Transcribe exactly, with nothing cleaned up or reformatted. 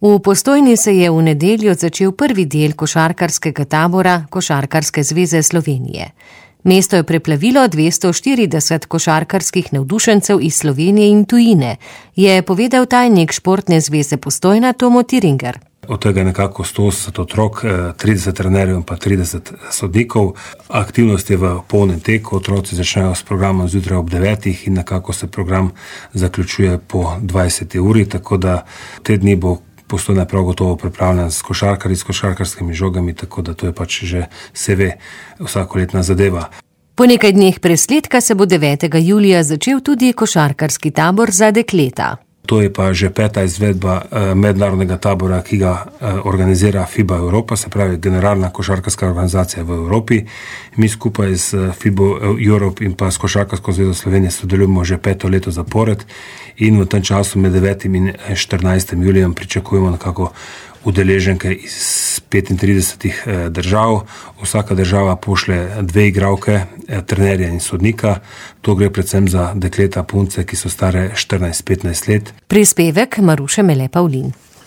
V Postojni se je v nedeljo začel prvi del košarkarskega tabora Košarkarske zveze Slovenije. Mesto je preplavilo dvesto štirideset košarkarskih navdušencev iz Slovenije in tujine, je povedal tajnik Športne zveze Postojna Tomo Tiringer. Od tega nekako sto osemdeset otrok, trideset trenerjev in pa trideset sodnikov. Aktivnost je v polnem teku, otroci začnejo s programom zjutraj ob devetih in nekako se program zaključuje po dvajseti uri, tako da te dni bo Postojna prav gotovo pripravljen s košarkarji, s košarkarskimi žogami, tako da to je pač že se ve vsakoletna zadeva. Po nekaj dneh presledka se bo devetega julija začel tudi košarkarski tabor za dekleta. To je pa že peta izvedba mednarodnega tabora, ki ga organizira FIBA Evropa, se pravi generalna košarkarska organizacija v Evropi. Mi skupaj s FIBA Europe in pa s Košarkarsko zvezo Slovenije sodelujemo že peto leto zapored in v tem času med devetim in štirinajstim julijem pričakujemo nekako udeleženke iz petintridesetih držav. Vsaka država pošlje dve igralke, trenerja in sodnika. To gre predvsem za dekleta, punce, ki so stare štirinajst petnajst let. Prispevek Maruše Mele Pavlin.